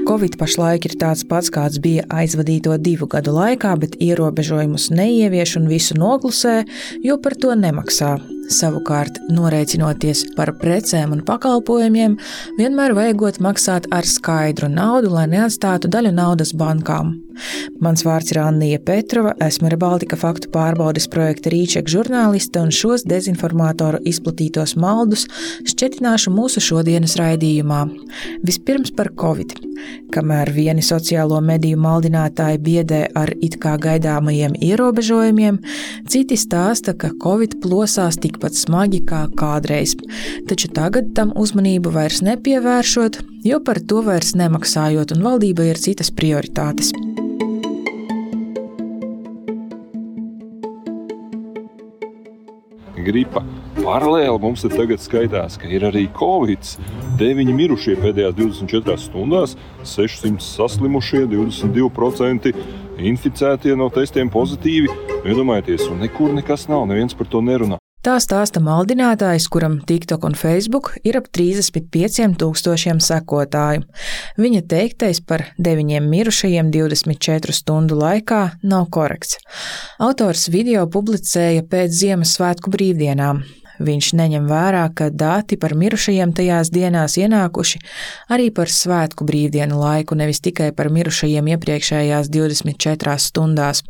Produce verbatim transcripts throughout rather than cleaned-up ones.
Covid pašlaik ir tāds pats, kāds bija aizvadīto divu gadu laikā, bet ierobežojumus neievieš un visu noklusē, jo par to nemaksā. Savukārt, norēķinoties par precēm un pakalpojumiem, vienmēr vajagot maksāt ar skaidru naudu, lai neatstātu daļu naudas bankām. Mans vārds ir Annija Petrova, esmu ReBaltica faktu pārbaudes projekta Rīček žurnāliste un šos dezinformātoru izplatītos maldus šķetināšu mūsu šodienas raidījumā. Vispirms par Covid. Kamēr vieni sociālo mediju maldinātāji biedē ar it kā gaidāmajiem ierobežojumiem, citi stāsta, ka Covid plosās tikpat smagi kā kādreiz. Taču tagad tam uzmanību vairs nepievēršot, jo par to vairs nemaksājot un valdībai ir citas prioritātes. Gripa. Paralēli mums te tagad skaitās, ka ir arī Covid. deviņi mirušie pēdējās divdesmit četrās stundās, sešsimt saslimušie, divdesmit divi procenti inficētie no testiem pozitīvi. Iedomājieties, un nekur nekas nav, neviens par to nerunā. Tā stāsta maldinātājs, kuram TikTok un Facebook ir ap trīsdesmit pieciem tūkstošiem sekotāju. Viņa teiktais par deviņiem mirušajiem divdesmit četru stundu laikā nav korekts. Autors video publicēja pēc Ziemassvētku brīvdienām. Viņš neņem vērā, ka dati par mirušajiem tajās dienās ienākuši arī par svētku brīvdienu laiku, nevis tikai par mirušajiem iepriekšējās divdesmit četrās stundās,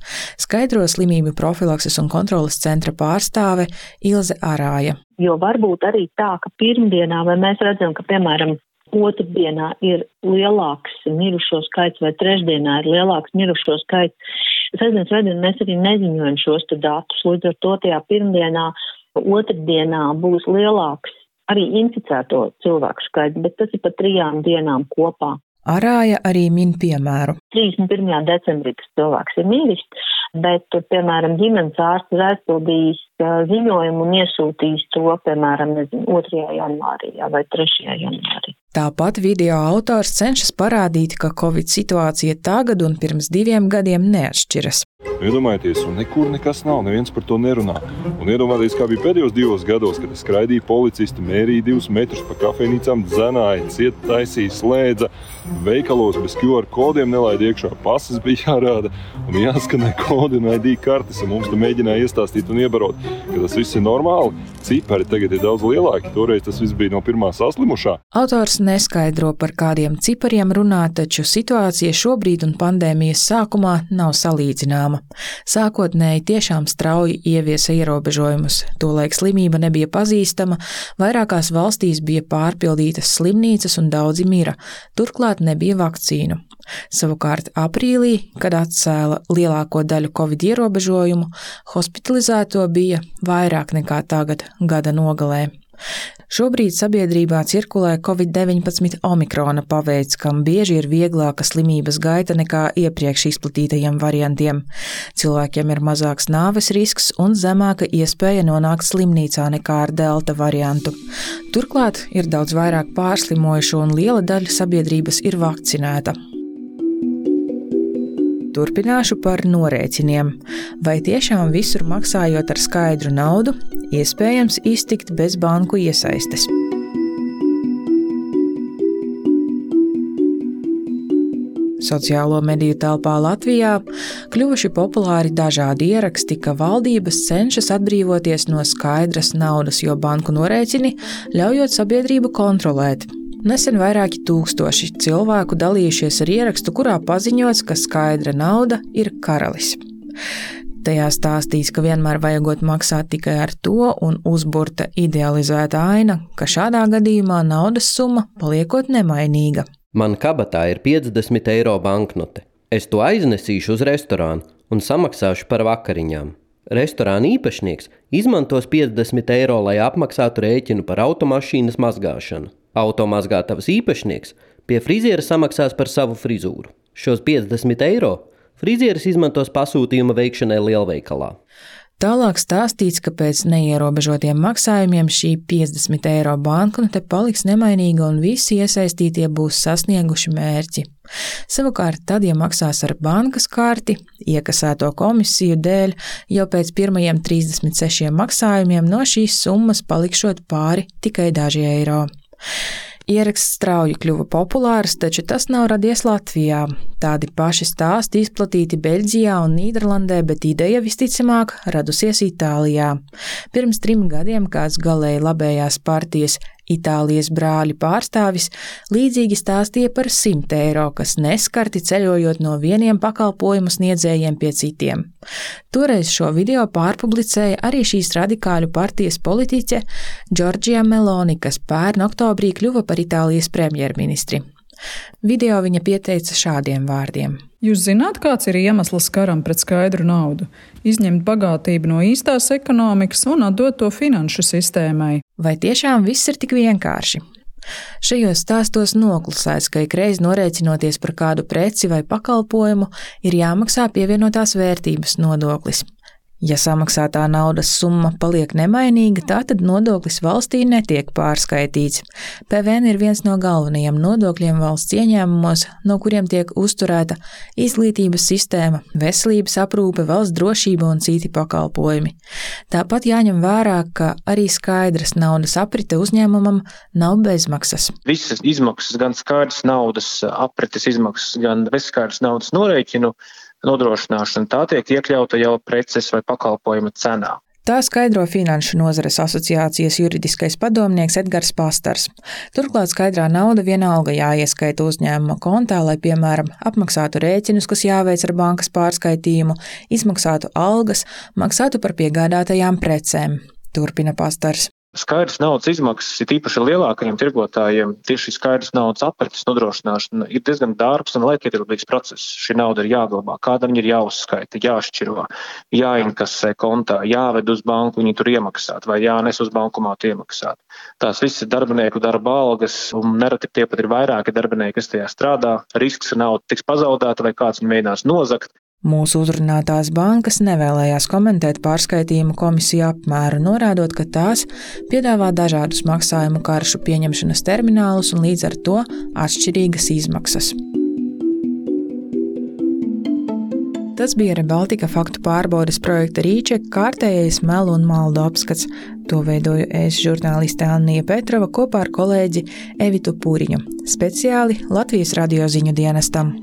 skaidro slimību profilakses un kontroles centra pārstāve Ilze Arāja. Jo varbūt arī tā, ka pirmdienā, vai mēs redzam, ka, piemēram, otrdienā ir lielāks mirušo skaits vai trešdienā ir lielāks mirušo skaits. Sestdienas veidā mēs arī neziņojam šos datus, līdz ar to tajā pirmdienā otrdienā būs lielāks arī inficēto cilvēku skaits, bet tas ir pa trijām dienām kopā. Arāja arī min piemēru. trīsdesmit pirmajā decembrī tas cilvēks ir miris, bet, piemēram, ģimenes ārsts ir aizpildījis ziņojumu un iesūtījis to, piemēram, nezinu, otrajā janvārī vai trešajā janvārī. Tāpat video autors cenšas parādīt, ka Covid situācija tagad un pirms diviem gadiem neatšķiras. Iedomājieties, un nekur nekas nav, neviens par to nerunā. Un iedomājieties, kā bija pēdējos divos gados, kad skraidīja policisti, mērīja divus metrus pa kafejnīcām, dzenāja, ciet taisīja, slēdza, veikalos bez Q R kodiem nelaida iekšā, pases bija jārāda un jāskanē kodi un I D kartes, un mums te mēģināja iestāstīt un iebarot, ka tas viss ir normāli. Cipari tagad ir daudz lielāki, toreiz tas viss bija no pirmā saslimušā. Autors neskaidro, par kādiem cipariem runā, taču situācija šobrīd un pandēmijas sākumā nav salīdzināma. Sākotnēji tiešām strauji ieviesa ierobežojumus, tolaik slimība nebija pazīstama, vairākās valstīs bija pārpildītas slimnīcas un daudzi mira, turklāt nebija vakcīnu. Savukārt aprīlī, kad atcēla lielāko daļu Covid ierobežojumu, hospitalizēto bija vairāk nekā tagad gada nogalē. Šobrīd sabiedrībā cirkulē Covid deviņpadsmit omikrona paveids, kam bieži ir vieglāka slimības gaita nekā iepriekš izplatītajiem variantiem. Cilvēkiem ir mazāks nāves risks un zemāka iespēja nonākt slimnīcā nekā ar delta variantu. Turklāt ir daudz vairāk pārslimojušo un liela daļa sabiedrības ir vakcinēta. Turpināšu par norēķiniem. Vai tiešām visur maksājot ar skaidru naudu, iespējams iztikt bez banku iesaistes? Sociālo mediju telpā Latvijā kļuvuši populāri dažādi ieraksti, ka valdības cenšas atbrīvoties no skaidras naudas, jo banku norēķini ļaujot sabiedrību kontrolēt. Nesen vairāki tūkstoši cilvēku dalījušies ar ierakstu, kurā paziņots, ka skaidra nauda ir karalis. Tajā stāstīts, ka vienmēr vajagot maksāt tikai ar to un uzburta idealizēta aina, ka šādā gadījumā naudas summa paliekot nemainīga. Man kabatā ir piecdesmit eiro banknote. Es to aiznesīšu uz restorānu un samaksāšu par vakariņām. Restorāna īpašnieks izmantos piecdesmit eiro, lai apmaksātu rēķinu par automašīnas mazgāšanu. Automazgātavas īpašnieks pie friziera samaksās par savu frizūru. Šos piecdesmit eiro frizieris izmantos pasūtījuma veikšanai lielveikalā. Tālāk stāstīts, ka pēc neierobežotiem maksājumiem šī piecdesmit eiro banknote paliks nemainīga un visi iesaistītie būs sasnieguši mērķi. Savukārt tad, ja maksās ar bankas karti, iekasēto komisiju dēļ, jau pēc pirmajiem trīsdesmit sešiem maksājumiem no šīs summas palikšot pāri tikai daži eiro. Ieraksts strauji kļuva populārs, taču tas nav radies Latvijā. Tādi paši stāsti izplatīti Beļģijā un Nīderlandē, bet ideja visticamāk radusies Itālijā. Pirms trim gadiem kāds galēji labējās partijas Itālijas brāļi pārstāvis līdzīgi stāstīja par simt eiro, kas neskarti ceļojot no vieniem pakalpojumu sniedzējiem pie citiem. Toreiz šo video pārpublicēja arī šīs radikāļu partijas politiķe Giorgia Meloni, kas pērn oktobrī kļuva par Itālijas premjerministri. Video viņa pieteica šādiem vārdiem. Jūs zināt, kāds ir iemesls karam pret skaidru naudu? Izņemt bagātību no īstās ekonomikas un atdot to finanšu sistēmai. Vai tiešām viss ir tik vienkārši? Šajos stāstos noklusēts, ka ikreiz norēķinoties par kādu preci vai pakalpojumu, ir jāmaksā pievienotās vērtības nodoklis. Ja samaksātā naudas summa paliek nemainīga, tātad nodoklis valstī netiek pārskaitīts. P V N ir viens no galvenajiem nodokļiem valsts ieņēmumos, no kuriem tiek uzturēta izglītības sistēma, veselības aprūpe, valsts drošība un citi pakalpojumi. Tāpat jāņem vērā, ka arī skaidras naudas aprite uzņēmumam nav bezmaksas. Visas izmaksas, gan skaidras naudas aprites izmaksas, gan bezskaidras naudas norēķinu nodrošināšana, tā tiek iekļauta jau preces vai pakalpojuma cenā. Tā skaidro Finanšu nozares asociācijas juridiskais padomnieks Edgars Pastars. Turklāt skaidrā nauda vienalga jāieskaita uzņēmuma kontā, lai, piemēram, apmaksātu rēķinus, kas jāveic ar bankas pārskaitījumu, izmaksātu algas, maksātu par piegādātajām precēm. Turpina Pastars. Skaidrs naudas izmaksas ir īpaši lielākajiem tirgotājiem. Tieši skaidrs naudas aprites nodrošināšana ir diezgan dārgs un laikietilpīgs process. Šī nauda ir jāglabā, kādam ir jāuzskaita, jāšķiro, jāinkasē kontā, jāved uz banku, viņi tur iemaksāt vai jānes uz bankomātu iemaksāt. Tās viss ir darbinieku darba algas un nereti tie pat ir vairāki darbinieki, kas tajā strādā. Risks, ka nauda tiks pazaudēta vai kāds viņu mēģinās nozagt. Mūsu uzrunātās bankas nevēlējās komentēt pārskaitījumu komisiju apmēru, norādot, ka tās piedāvā dažādus maksājumu karšu pieņemšanas terminālus un līdz ar to atšķirīgas izmaksas. Tas bija Rebaltika faktu pārbaudes projekta Rīčeka kārtējais melu un maldu apskats. To veidoju es, žurnāliste Annija Petrova, kopā ar kolēģi Evitu Pūriņu, speciāli Latvijas radio ziņu dienestam.